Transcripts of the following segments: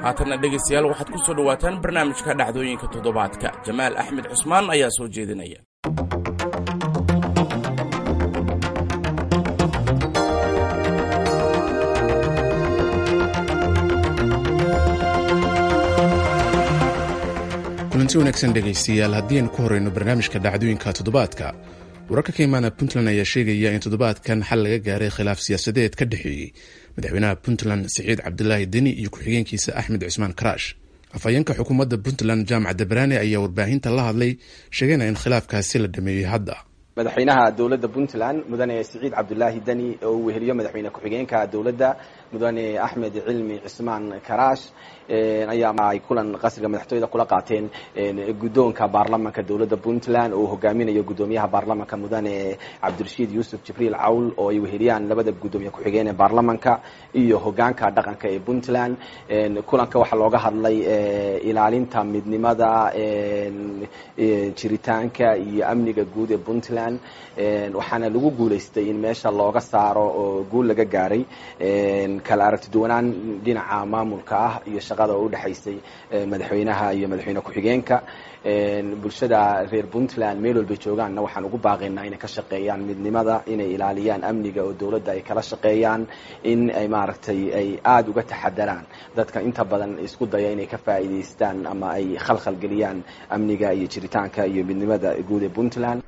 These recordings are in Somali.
Haatanna dhegaystayaal, waxaad ku soo dhowaataan barnaamijka dhacdooyinka toddobaadka. Jamaal Axmed Cusmaan ayaa soo jeedinaya. Kulanti wanaagsan dhegaystayaal, haddii aynu ku horeyno barnaamijka dhacdooyinka toddobaadka, wararka ka imaana Puntland ayaa sheegaya in toddobaadkan xal laga gaaray khilaaf siyaasadeed ka dhexeeyey madaxweynaha Puntland Siciid Cabdilaahi Deni iyo ku-xigeenkiisa Axmed Cusmaan Karaash. Afhayeenka xukuumadda Puntland Jaamac Dabraane ayaa warbaahinta la hadlay, sheegayna in khilaafkaasi la dhameeyey hadda. Madaxweynaha dowladda Puntland Mudane Siciid Cabdulaahi Deni oo uu weheliyo madaxweyne ku-xigeenka dowladda Mudane Axmed Cilmi Cismaan Karaash ayaa ay kulan qasriga madaxtooyada kula qaateen guddoonka baarlamanka dowladda Puntland oo uu hogaaminayo guddoomiyaha baarlamanka Mudane Cabdirashiid Yuusuf Jibriil Cawl, oo ay weheliyaan labada guddoomiye ku-xigeen ee baarlamanka iyo hogaanka dhaqanka ee Puntland. Kulanka waxaa looga hadlay ilaalinta midnimada, jiritaanka iyo amniga guud ee Puntland, waxaana lagu guulaystay in meesha looga saaro oo guul laga gaaray kala aragti duwanaan dhinaca maamulka ah iyo shaqada oo udhexaysay madaxweynaha iyo madaxweyne ku-xigeenka. Bulshada reer Puntland meel walbay joogaanna waxaan ugu baaqaynaa inay ka shaqeeyaan midnimada, inay ilaaliyaan amniga oo dowladda ay kala shaqeeyaan, in ay maaragtay ay aada uga taxadaraan dadka inta badan isku daya inay ka faa'iidaystaan ama ay khalkhal geliyaan amniga iyo jiritaanka iyo midnimada guud ee Puntland.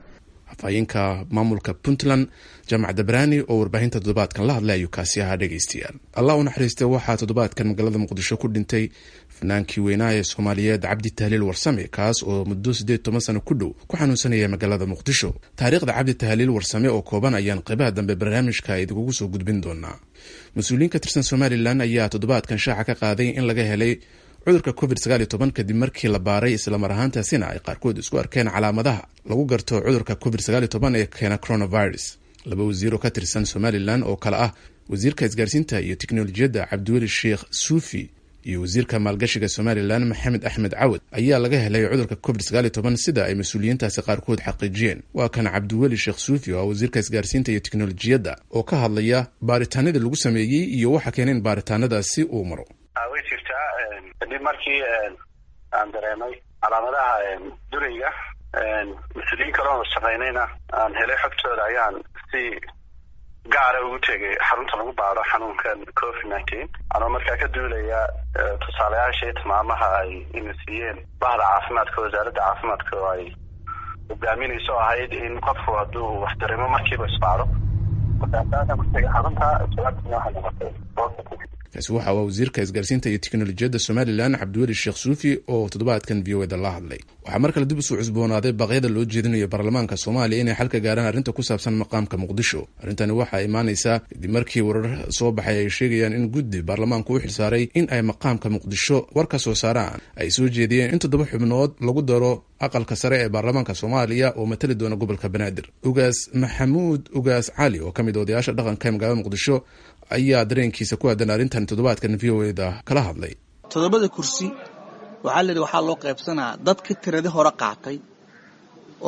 Afhayeenka maamulka Puntland Jaamac Dabraani oo warbaahinta toddobaadkan la hadlay ayuu kaasi ahaa. Dhegaystayaal, Allah u naxariistay, waxaa toddobaadkan magaalada Muqdisho ku dhintay fanaankii weynaa ee Soomaaliyeed Cabdi Tahliil Warsame, kaas oo muddo 18 sano ku dhow ku xanuunsanaya magaalada Muqdisho. Taariikhda Cabdi Tahliil Warsame oo kooban ayaan qeybaha dambe barnaamijka idinkugu soo gudbin doonaa. Mas-uuliyiin ka tirsan Somalilan ayaa toddobaadkan shaaca ka qaaday in laga helay cudurka Covid 19 kadib markii la baaray, islamar ahaantaasina ay qaarkood isku arkeen calaamadaha lagu garto cudurka Covid 19 ee keena coronavirus. Laba wasiir oo ka tirsan Somalilan oo kale ah wasiirka isgaarsiinta iyo teknolojiyadda Cabdiweli Sheekh Suufi iyo wasiirka maalgashiga Somalilan Maxamed Axmed Cawad ayaa laga helay cudurka Covid 19, sida ay mas-uuliyiintaasi qaarkood xaqiijiyeen. Waa kan Cabdiweli Sheekh Suufi oo ah wasiirka isgaarsiinta iyo teknolojiyadda oo ka hadlaya baaritaanadii lagu sameeyey iyo waxa keeneen baaritaanadaasi uu maro. Way jirtaa. Kadib markii aan dareemay calaamadaha durayga, mas-uuliyiin kaloona shaqaynayna aan helay xogtooda, ayaan si gaara ugu tegay xarunta lagu baaro xanuunkan Covid 19, anoo markaa ka duulaya tusaalayaasha iyo tilmaamaha ay ina siiyeen bahda caafimaadka, wasaaradda caafimaadka oo ay hogaaminayso, ahayd in qofku hadduu wax dareemo markiiba isbaaro. Markaasaasaan ku tegay xarunta, jawaabtiina waxay noqotay positive. Kaasi waxa uu wasiirka isgaarsiinta iyo teknolojiyadda Somalilan Cabdiweli Sheekh Suufi oo toddobaadkan V O da la hadlay. Waxaa mar kale dib usoo cusboonaaday baaqyada loo jeedinayo baarlamaanka Soomaaliya inay xalka gaaraan arrinta ku saabsan maqaamka Muqdisho. Arrintani waxaa imaanaysaa kadib markii warar soo baxay ay sheegayaan in guddi baarlamaanku u xilsaaray in ay maqaamka Muqdisho war ka soo saaraan ay soo jeediyeen in toddoba xubnood lagu daro aqalka sare ee baarlamaanka Soomaaliya oo matali doona gobolka Banaadir. Ugaas Maxamuud Ugaas Cali oo ka mid odayaasha dhaqanka ee magaalada Muqdisho ayaa dareenkiisa ku aadan arrintan toddobaadkan V O da kala hadlay. Toddobada kursi waxaa la yidhi waxaa loo qaybsanaa dadka tiradii hore qaatay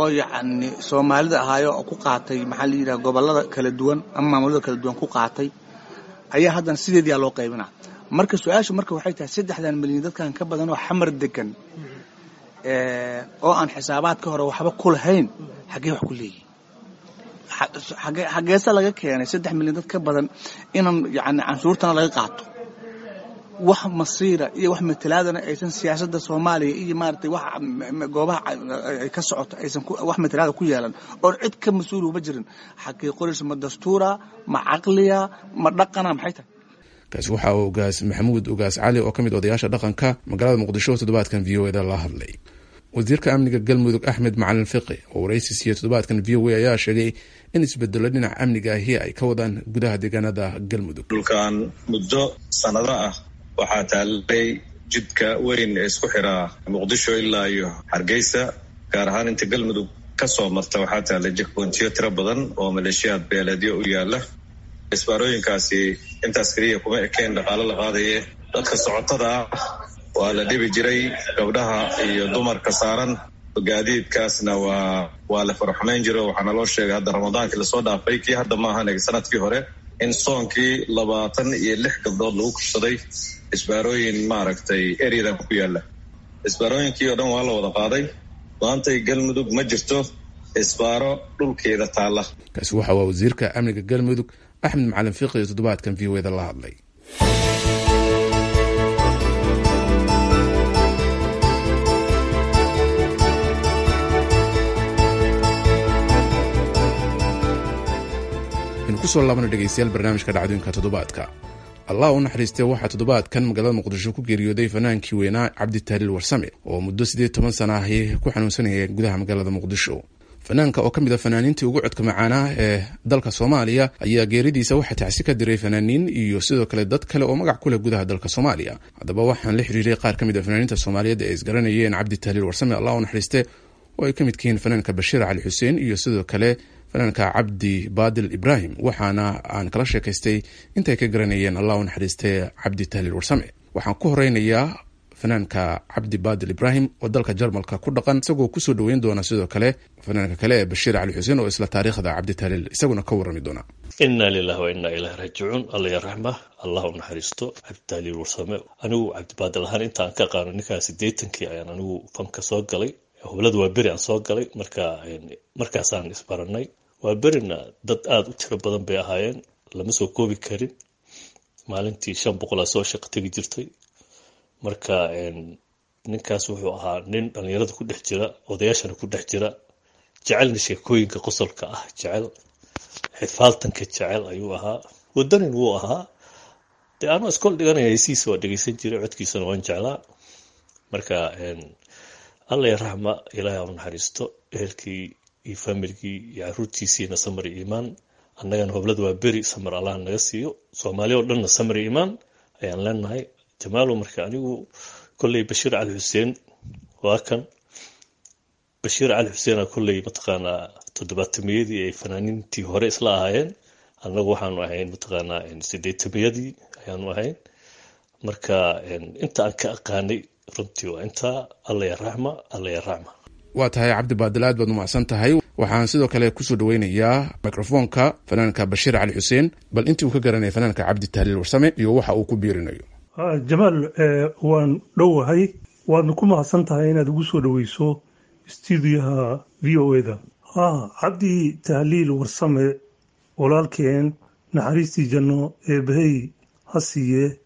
oo yacni Soomaalida ahaayo oo ku qaatay, maxaa la yidhaha, gobollada kala duwan ama maamulada kala duwan ku qaatay ayaa haddana sideediyaa loo qaybinaa. Marka su-aashu marka waxay tahay, 3-dan milyan dadkan ka badan oo Xamar degan oo aan xisaabaadka hore waxba ku lahayn xaggee wax ku leeyihin? Xaggeese laga keenay 3 milyan dad ka badan inaan yani canshuurtana laga qaato, wax masiira iyo wax matalaadana aysan siyaasadda Soomaaliya iyo maaragtay wax goobaha ay ka socoto aysan wax matalaada ku yeelan oon cid ka mas-uul uba jirin? Xagee qoraysa? Ma dastuura, ma caqliya, ma dhaqana, maxay tahay? Kaasi waxa uu Ugaas Maxamuud Ugaas Cali oo ka mid odayaasha dhaqanka magaalada Muqdisho oo toddobaadkan V O da la hadlay. Wasiirka amniga Galmudug Axmed Macalin Fiqi oo waraysi siiyey toddobaadkan V O A ayaa sheegay in isbedelo dhinaca amniga ahi ay ka wadaan gudaha deegaanada Galmudug. Dhulkan muddo sanado ah waxaa taalay jidka weyn ee isku xiraa Muqdisho ilaa iyo Hargeysa, gaar ahaan inta Galmudug ka soo marta, waxaa taalay checkpointiyo tiro badan oo maleeshiyaad beeleedyo u yaala. Isbaarooyinkaasi intaas keliya kuma ekeen dhaqaalo la qaadaye, dadka socotada ah waa la dhibi jiray, gabdhaha iyo dumarka saaran gaadiidkaasna waa la faraxumayn jiro. Waxaana loo sheegay hadda Ramadaankii lasoo dhaafay, kii hadda maahan, sanadkii hore, In soonkii 26 gabdhood lagu kufsaday isbaarooyin maaragtay eryadan ku yaalla. Isbaarooyinkii oo dhan waa la wada qaaday. Maantay Galmudug ma jirto isbaaro dhulkeeda taalla. Kaasi waxa waa wasiirka amniga Galmudug Axmed Macalin Fiiqi iyo toddobaadkan v o da la hadlay. Kusoo laabana dhegeystayaal barnaamijka dhacdooyinka toddobaadka. Allah u naxariistee, waxaa toddobaadkan magaalada Muqdisho ku geeriyooday fanaankii weynaa Cabdi Tahliil Warsame oo muddo 18 sana ahi ku xanuunsanayay gudaha magaalada Muqdisho. Fanaanka oo ka mid a fanaaniintii ugu codka macaanaa ee dalka Soomaaliya ayaa geeridiisa waxaa tacsi ka diray fanaaniin iyo sidoo kale dad kale oo magac ku leh gudaha dalka Soomaaliya. Haddaba waxaan la xiriiray qaar ka mid a fanaaniinta Soomaaliyeed ee isgaranayeen Cabdi Tahliil Warsame, Allah u naxariiste, oo ay ka midka yihiin fanaanka Bashiir Cali Xuseen iyo sidoo kale fanaanka Cabdi Baadil Ibraahim, waxaana aan kala sheekaystay intay ka garanayeen Allah u naxariistay Cabdi Tahliil Warsame. Waxaan ku horeynayaa fanaanka Cabdi Baadil Ibraahim oo dalka Jarmalka ku dhaqan, isagoo kusoo dhoweyn doona sidoo kale fanaanka kale ee Bashiir Cali Xuseen oo isla taariikhda Cabdi Tahliil isaguna ka warrami doona. Inna lilahi wa inna ilahi raajicuun. Alla ya raxma, Allah u naxariisto Cabditahliil Warsame. Anigu Cabdibaadil ahaan intaan ka aqaano ninkaa 80kii ayaan anigu fanka soo galay. Hublada waa beri aan soo galay, marka markaasaan isbaranay. Waa berina dad aada u tiro badan bay ahaayeen, lama soo koobi karin. Maalintii 500 soo shaqo tegi jirtay. Marka ninkaas wuxuu ahaa nin dhalinyarada ku dhex jira, odayaashana ku dhex jira, jecelna sheekooyinka qosolka ah, jecel xifaaltanka jecel ayuu ahaa. Wadanin wuu ahaa. Dee anoo iskool dhiganaya heysihiisa waa dhegeysan jiray, codkiisana waan jeclaa. Marka alla ya raxma, ilaahay ha u naxariisto ehelkii iyo faamilkii iyo caruurtiisiina samar iyo iimaan. Annagana hoblada waa beri samar allah naga siiyo, Soomaaliya oo dhanna samar iyo iimaan ayaan leenahay. Jamaalo, marka anigu kolley Bashiir Cali Xuseen waa kan. Bashiir Cali Xuseena kolley mataqaanaa 70-miyadii ay fanaaniintii hore isla ahaayeen, annagu waxaanu ahayn mataqaanaa 80-miyadii ayaanu ahayn. Marka inta aan ka aqaanay runtii waa intaa. Alla ya raxma, alla ya raxma. Waa tahay Cabdi Baadil, aad baad umacsan tahay. Waxaan sidoo kale kusoo dhaweynayaa microfoonka fanaanka Bashiir Cali Xuseen, bal intii uu ka garanaya fanaanka Cabdi Tahliil Warsame iyo waxa uu ku biirinayo. Jamaal, waan dhowahay, waadna ku mahadsan tahay inaad ugu soo dhoweyso stuudiyaha v o eda. Cabdi Tahliil Warsame walaalkeen, naxariistii janno eebbahey ha siiye.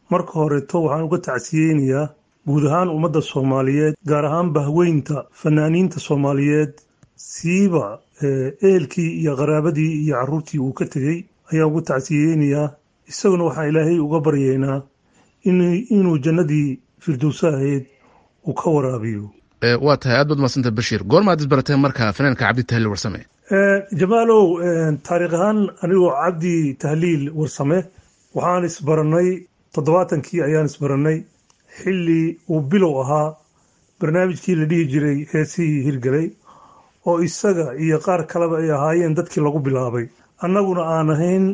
Marka horeeto waxaan uga tacsiyeynayaa guud ahaan ummadda Soomaaliyeed, gaar ahaan bahweynta fanaaniinta Soomaaliyeed, siiba ehelkii iyo qaraabadii iyo carruurtii uu ka tegey ayaan uga tacsiyeynayaa. Isaguna waxaan Ilaahay uga baryeynaa inuu jannadii firdowsa ahayd uu ka waraabiyo. Waa tahay, aad baad madsanta Bashiir. Goormaad isbarateen marka fanaanka Cabdi Tahliil Warsame? Jamaalow, taariikh ahaan anigoo Cabdi Tahliil Warsame waxaan isbaranay 70kii ayaan isbaranay, xilli uu bilow ahaa barnaamijkii la dhihi jiray heesihii hirgelay, oo isaga iyo qaar kaleba ay ahaayeen dadkii lagu bilaabay, annaguna aan ahayn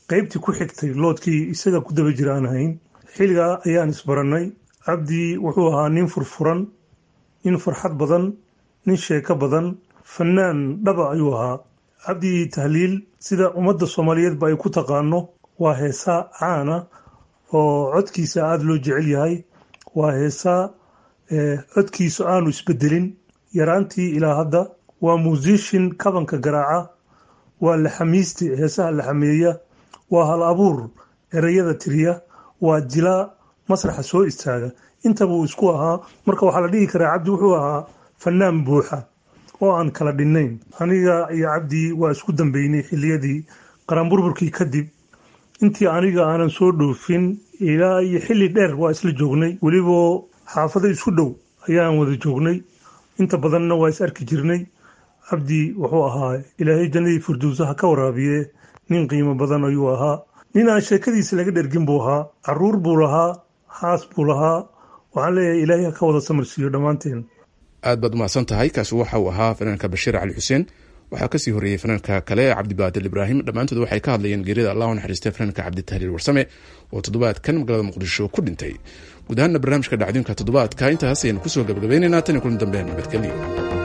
qeybtii ku xigtay, loodkii isaga ku daba jira aan ahayn. Xilligaa ayaan isbarannay. Cabdi wuxuu ahaa nin furfuran, nin farxad badan, nin sheeko badan, fanaan dhaba ayuu ahaa. Cabdi Tahliil sida ummadda Soomaaliyeedba ay ku taqaano waa heesaa caana oo codkiisa aada loo jecel yahay. Waa heesaa codkiisu aanu isbedelin yaraantii ilaa hadda. Waa muusishin kabanka garaaca, waa laxamiiste heesaha laxameeya, waa hal abuur ereyada tiriya, waa jilaa masraxa soo istaaga. Intaba uu isku ahaa. Marka waxaa la dhihi karaa Cabdi wuxuu ahaa fanaan buuxa oo aan kala dhinnayn. Aniga iyo Cabdi waa isku dambeynay xilliyadii qaranburburkii kadib, intii aniga aanan soo dhoofin ilaa iyo xilli dheer waa isla joognay, weliba xaafado isku dhow ayaan wada joognay, inta badanna waa is arki jirnay. Cabdi wuxuu ahaa, Ilaahay jannadii firdowsaha ka waraabiye, nin qiimo badan ayuu ahaa. Nin aan sheekadiisa laga dhergin buu ahaa. Caruur buu lahaa, xaas buu lahaa. Waxaan leeyahay Ilaahay ha ka wada samarsiiyo dhammaanteen. Aad baad umahadsan tahay. Kaasi waxa uu ahaa fanaanka Bashiir Cali Xuseen. Waxaa kasii horreeyey fanaanka kale Cabdibaadil Ibraahim. Dhammaantood waxay ka hadlayeen geerida Allah u naxariistay fanaanka Cabdi Tahliil Warsame oo toddobaadkan magaalada Muqdisho ku dhintay. Guud ahaanna barnaamijka dhacdooyinka toddobaadka intaas ayaynu kusoo gabagabaynaynaa. Tan iyo kulan dambe, nabadgelyo.